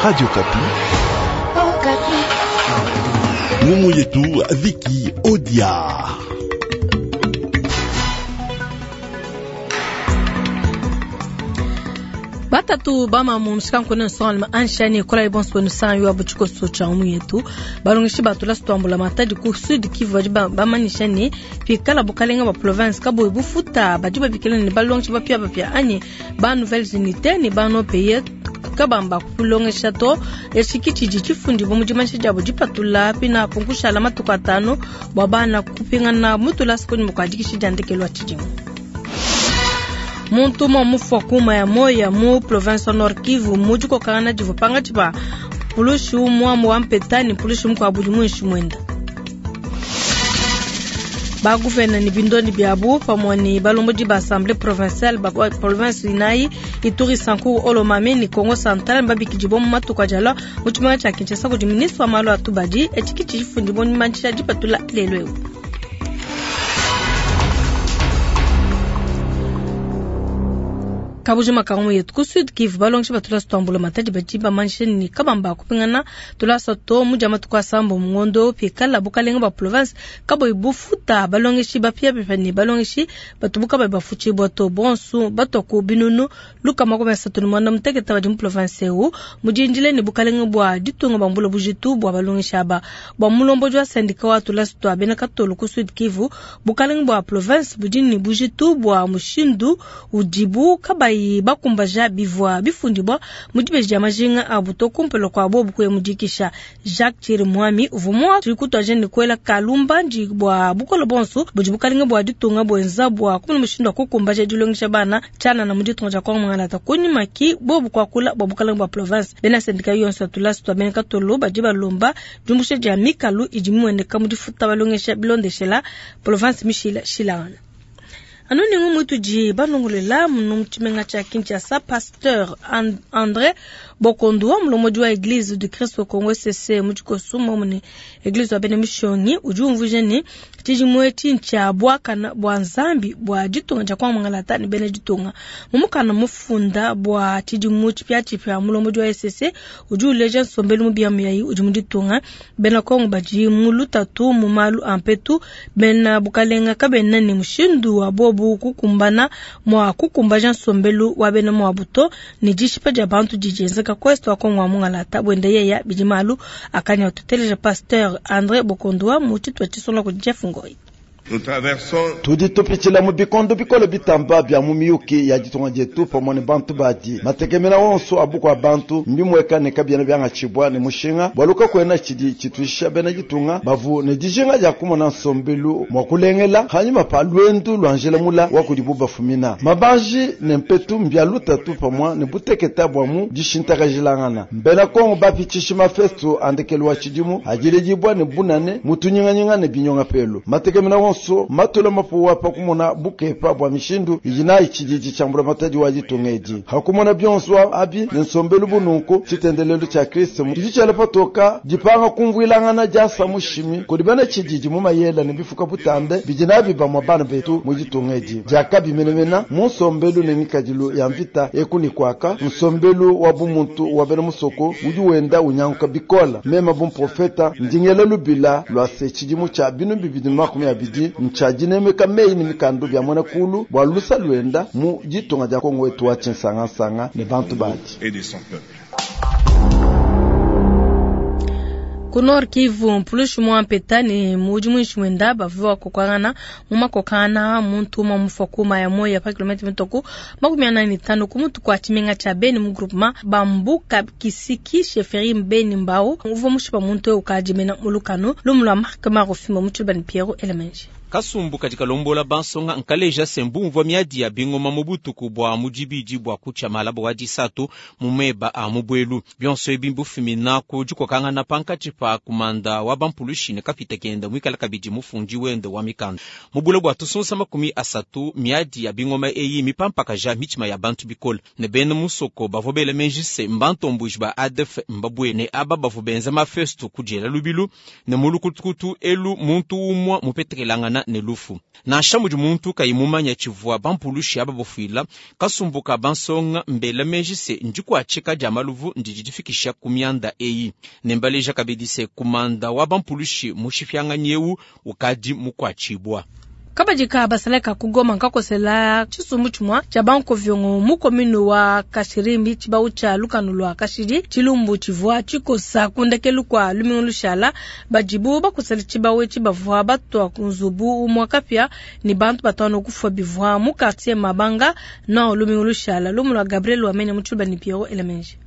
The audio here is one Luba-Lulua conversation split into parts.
Radio Okapi. Ngumu yetu Viki Odia. Batatu bamamu mushikanku nsongalume anshani kolayi bonso benu sanyu wa butshikoso tshia ngumu yetu. Balongeshi ba tulasa tua mbulamatadi ku Sud Kivu badi bamanyisha ne pikala bukalenga bua province kabuyi bufuta badi babikila ne balongeshi bapiabapia anyi ba nouvelles unités ne ba non payés kabamba kulongesha to. Etshi ki tshidi tshifundibua mu dimanyisha diabo dipatula pinapu nkushala matuku atanu bua bana kupingana mu tulasa kunyima kua dikisha dia ndekelu wa tshidimu. Muntu umue mufua kuma ya moya mu province wa Nord Kivu mu dikokangana divua pankatshi pa mpulushi umue wa mpeta ne mpulushi mukuabu udi muinshi muenda. Ba gouverneur ne bindondi biabu pamue ne balombodi ba assemblée provinciale ba province inayi Ituri, Sankuru, Haut-Lomami ne Kongo Central mbabikidibua mu matuku adi alua mu tshimenga tshia Kinshasa kudi ministre wa malu a tubadi. Etshi ki tshifundibua mu dimanyisha dipatula lelu eu. Kabujima ka ngumu yetu ku Sud Kivu, balongeshi ba tulasa tua mbulamatadi badi bamanyisha ne kabamba kupingana tulasa to mu dia matuku asambo mu ngondo pikala bukalenga bua province kabuyi bufuta balongeshi bapiabapia ne balongeshi batubu kabayi bafutshibua to. Bonso batua ku binunu 336 badi mu province eu mudindile ne bukalenga bua ditunga bambula bujitu bua balongeshi aba. Bua mulombodi wa syndicat wa tulasa tua bena Katolo ku Sud Kivu, bukalenga bua province budi ne bujitu bua mushindu udibu kabayi bakumbaja bivua bifundibua mu dibeji dia majinga abu to kumpala kua bobu kuya mu dikisha. Jacques Chirimwami uvua mua kutuaja ne kuela kalumbandi bua bukole bonso budi bukalenga bua ditunga buenza bua kumona mushindu wa kukumbaja dilongesha bana tshianana mu ditunga dia Kongo Mwangalata. Kunyima ki bobu kuakula bua bukalenga bua province. Bena syndicat yonso ya tulasa tua bena Katolo badi balomba diumbusha dia mikalu idi mimueneka mu difuta balongesha bilondeshela province mishilashilangana. Anu ni ngumu tudi balongolela mu tshimenga tshia Kinshasa, Pasteur André Bokondo wa mulombodi wa Eglise du Christ au Congo ECC mu tshikoso momune Eglise wa bena mishonyi udi umvuija ne tshidimu etshi ntshia buakana bua Nzambi bua ditunga dia Kongo Mwangalata ne bena ditunga. Mu mukanda mufunda bua tshidimu tshipiatshipia mulombodi wa ECC udi uleja nsombelu mubi ya muyayi udi mu ditunga. Bena Kongo badi mu lutatu mu malu a mpetu, bena bukalenga kabena ne mushindu wa bobu kukumbana mua kukumbaja nsombelu wa bena muabu to, ne dishipa dia bantu didi dienzeka ku est wa Kongo wa Mwangalata. Buenda yeya bidi malu akanya tuteleja Pasteur André Bokondoa mu tshitupa tshisonga kudi Jeff Ngoi. Tudi tupitshila mu bikondo bikole bitamba bia mu miyuki ya ditunga dietu pamue ne bantu badi matekemena onso a bukua bantu mbimweka ne kabiena biangatshibua ne mushinga bualu kakuena tshidi tshituisha bena ditunga bavu ne dijinga dia kumona nsombelu mua kulengela hanyima pa luendu lua njila mula wa kudibu bafumina. Mabanji ne mpetu mbia lutatu pamue ne buteketa bua mu dishintakajilangana. Mbena Kongo bapitshishi mafesto a ndekelu wa tshidimu adiledibua ne bunane mu tunyinganyinga ne binyonga pelu. Matekemena onso matula mapuwa pa kumona bukepa bua mishindu idi nayi tshididi tshia mbulamatadi wa ditunga edi. Hakumona bionso abi ne nsombelu bununku tshitendelelu tshia Kristo tshidi tshiela patoka dipanga kumvuilangana diasa mushimi kudi bena tshididi mu mayela ne bifuka butambe bidi nabi bamue bana betu mu ditunga edi. Diakabi menemene mu nsombelu ne ngikadilu ya mvita eku ne kuaka, nsombelu wa bumuntu wa bena musoko udi wenda unyanguka bikole. Mema bu mprofeta ndingela lubila lua se tshidimu tshia binu bibidi makumi abidi ntshia dinemeka meyi ne mikandu bia muena kulu bua lusa luenda mu ditunga dia Kongo wetu wa tshinsangansanga ne bantu badi. Ku Nord Kivu, mpulushi mwa mpeta ne mudi muinshi mwenda bavua kokangana mu makokana muntu umue mufua kuma ya moya pa kilomètre mitoku 45 ku mutu kwa tshimenga tshia Beni mu groupement Bambuka Kisiki chefferie Beni Mbau uvua mushipa muntu ukadi mena mulukano lumu lua Marc Marofimbo mu tshiluba ne Pierrot Elemenji. Kasumbu kadi kalombola bansonga nkaleja se mbumvua miadi ya bingoma mu butuku bua mudibidi bua kutshia malaba wa disatu mu meba a mubwelu. Bionso ebi mbufumina ku dikokangana pankatshi pa kumanda wa bampulushi ne kapita kenda muikala kabidi mufundi wende wa mikanda. Mu bule bua tusunsa 30 miadi ya bingoma eyi mipampakaja mitshima ya bantu bikole ne bena musoko bavua bela meji se mbantombuji ba ADF mbabwe ne aba bavua benza mafesto kudiela lubilu ne mulukutukutu elu muntu umue mupetekelangana. dikokangana ne lufu. Nansha mudi muntu kayi mumanya tshivua bampulushi aba bafuila, kasumbu ka bansonga mbela meji se ndikuatshika dia maluvu ndidi difikisha ku mianda eyi. Ne mbaleja kabidi se kumanda wa bampulushi mushipianganyi eu ukadi mukuatshibua. Kabadi ka basalayi ka ku Goma nkakosela tshisumbu tshimua tshia bankoviongo mu commune wa Kashirimbi tshibawu tshia lukanu lua kashidi. Tshilumbu tshivua tshikosa ku ndekelu kua lumingu lushala. Badibu bakosela tshibawu etshi bavua batua ku nzubu umua kapia ne bantu batanu kufua bivua mu quartier Mabanga Nord lumingu lushala. Lumu lua Gabriel Wamenya mu Tshiluba ne Pierrot Elemenji.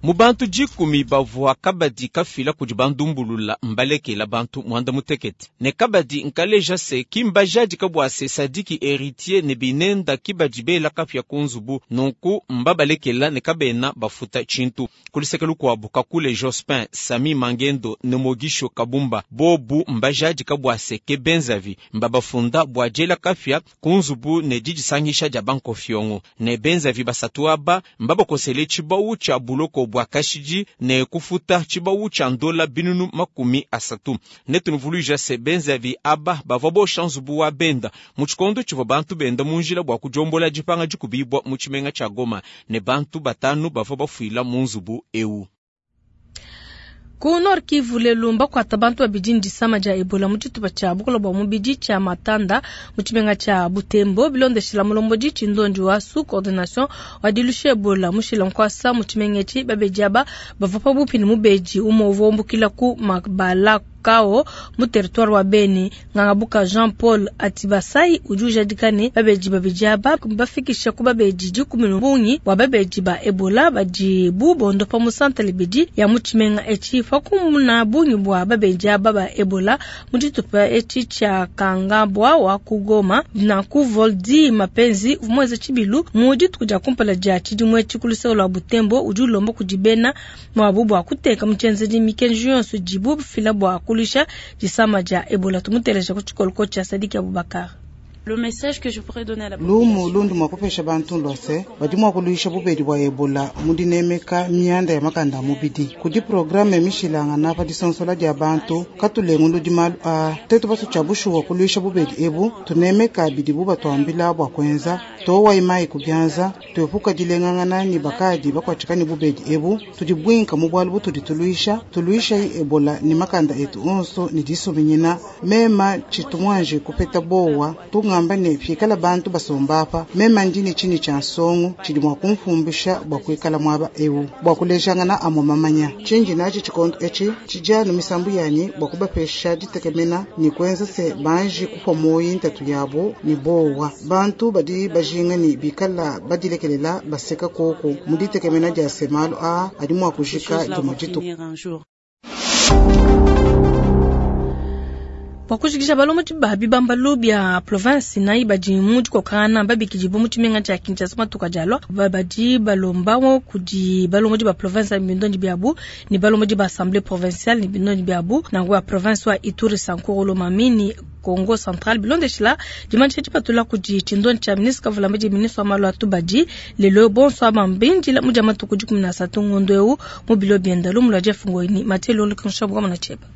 Mu bantu 10 bavua kabadi kafila kudi bandumbulula mbalekela bantu mwanda mutekete. Ne kabadi nkaleja se ki mbajadika bua se Sadiki héritier ne binenda ki badi bela kapia ku nzubu, nunku mbabalekela ne kabena bafuta tshintu. Kuluseke lukuabu Kakule Jospin, Sami Mangendo ne Mogisho Kabumba bobu mbajadika bua se ke benzavi mbabafunda bua diela kapia ku nzubu ne didisangisha dia bankofiongo. Ne benzavi basatu aba mbabakosele tshibawu tshia buloko bua kashidi ne kufuta tshibawu tshia ndola binunu 30. Ne tunuvuluija se benzavi aba bavua bosha nzubu wa benda mu tshikondo tshivua bantu benda mu njila bua kudiombola dipanga dikubibwa mu tshimenga tshia Goma ne bantu batanu bavua bafuila mu nzubu eu. Ku Nord Kivu lelu mbakuata bantu babidi ndisama dia Ebola mu tshitupa tshia bukola bua mubidi tshia Matanda mu tshimenga tshia Butembo. Bilondeshila mulombodi tshindondi wa sous coordination wa dilusha Ebola mushila nkwasa mu tshimenga etshi babedi aba bavua pabuipi ne mubedi umue uvua umbukila ku Mabalakao mu territoire wa Beni. Ngangabuka Jean Paul Atibasai udi ujadika ne babedi babidi aba bafikisha ku babedi 10 ne bungi bua babedi ba Ebola badi bu bondopa mu santre ibidi ya mu tshimenga etshi. Pakumuna bungi bua babedi aba ba Ebola mu tshitupa etshi tshia Kangabwa wa ku Goma na ku Voldi Mapenzi mweze tshibilu mu dituku dia kumpala dia tshidimu etshi ku luseke lua Butembo udi ulomba kudi bena mwabu bua kuteka mu tshienzedi mikenji yonso idibu bafila bua kulusha disama dia Ebola. Tumuteleja ku tshikoloko tshia Sadiki Abubakar. Le message que je pourrais donner à la Lumu population. lundu mwa kupesha bantu lwase badi mwa kuluisha bubedi bwa Ebola mudinemeka mianda ya makanda mubidi kudi programme mishilanga na pa disonsola dia bantu katulengu ludi malu a tetu basu cha bushuwa kuluisha bubedi ebu tunemeka bidibu batwambila bwa kwenza towa imai kubyanza tuepuka dilengangana ni bakadi bakwachikani bubedi ebu tudibwinka mu bwalu butudi tuluisha tuluisha Ebola ni makanda etu onso ni disuminyina mema chitumwanje kupeta bowa tungamba ne fikala bantu basombapa mema ndini chini cha nsongo chidi mwa kumfumbisha bwa kuikala mwaba ewu bwa kulejangana amwe mamanya chinji nachi chikondo echi chijanu misambu yanyi bwa kubapesha ditekemena ni kwenza se banji kupwa moyi ntatu yabo ni bowa bantu badi bajinga ni bikala badilekelela baseka koko muditekemena dia semalu a adi mwa kujika dimwe ditu. Bua kujikija balomodi ba bibambalu bia province nayi badi mu dikokangana babikidibwa mu tshimenga tshia Kinshasa matuku adi alua. Badi balomba kudi balomodi ba province ya bindondi biabu ne balomodi ba assemblée provinciale ne bindondi biabu nangu ba province wa Ituri Sankuru Lomami ni Congo Central bilondeshila dimanyisha dipatula kudi tshindondi tshia ministre Kavulambedi ministre wa malu a tubadi lelo bonso abambindila mu dia matuku 13 ngondo eu mu bilo bienda lumu lua Jeff Ngoini Mathieu Lolo Kinshabu kama na cheba.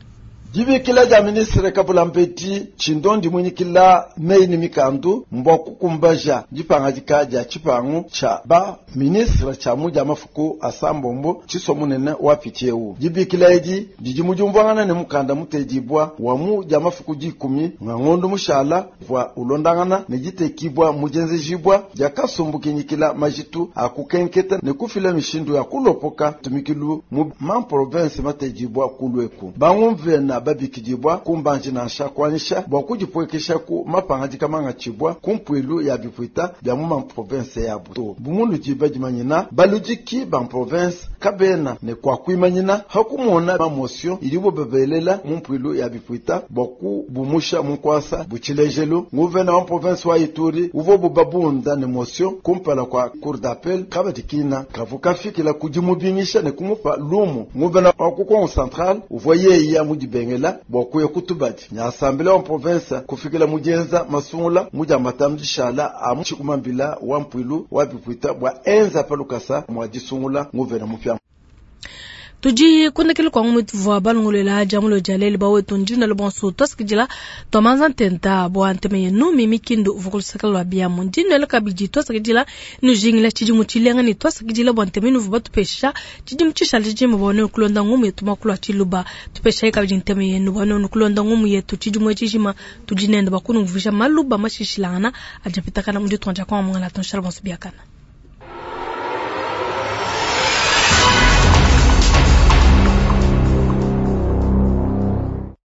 Dibikila dia ministre Kavulambedi tshindondi mwinyikila meyi ni mikandu mbwa kukumbaja dipangadika dia tshipangu tsha ba ministre tsha mu dia mafuku a sambombo tshiso munene wa piti eu. Dibikila edi didi mudiumvuangana ne mukanda mutedibwa wa mu dia mafuku 10 nga ngondo mushala vwa ulondangana ne ditekibwa mujenzejibwa dia kasumbu kinyikila majitu a kukenketa ne kufila mishindu ya kulopoka tumikilu mu ma province matedibwa kulweku. Bangumvena babikidibwa kumbanji nansha kwanisha bwa kudipwekesha ku mapangadika mangachibwa kumpwilu ya bipwita bya mu ma province yabo to bumunu diba dimanyina baludiki ba province kabena ne kwa kuimanyina hakumona mamosio ilibo bebelela mu mpwilu ya bipwita bwa kubumusha munkwasa buchilejelu nguvena wa province wa Ituri uvo bubabunda ne mosio kumpala kwa cour d'appel kabadikina kavukafikila kudimubingisha ne kumupa lumu nguvena wa ku Kongo Central uvo yeya mudibengela bwa kuya kutubadi nya assemblée wa province kufikila mujenza masungula muja matamdishala a muchikumambila wa mpwilu wa bipwita bwa enza palukasa mwa disungula nguvena mupya. Tudi ku ndekelu kua ngumu ituvua balongoluela dia mulo dia lelu bawetu ndi nuela bonso tuasakidila tuamanza ntenta bua ntema yenu Mimi Kindu uvua ku luseke lua biamu. Ndi nuela kabidi tuasakidila nujingila tshidimu tshilenga ne tuasakidila bua ntema inuvua batupesha tshidimu tshishale tshijima bua nuenu kulonda ngumu yetu muakulu wa tshiluba. Tupeshayi kabidi ntema yenu bua nuenu kulonda ngumu yetu tshidimu tshijima tudi nende bua kunumvuija maluba mashishilangana adi apitakana mu ditunga dia Kongo. Mungala tunshala bonso biakana.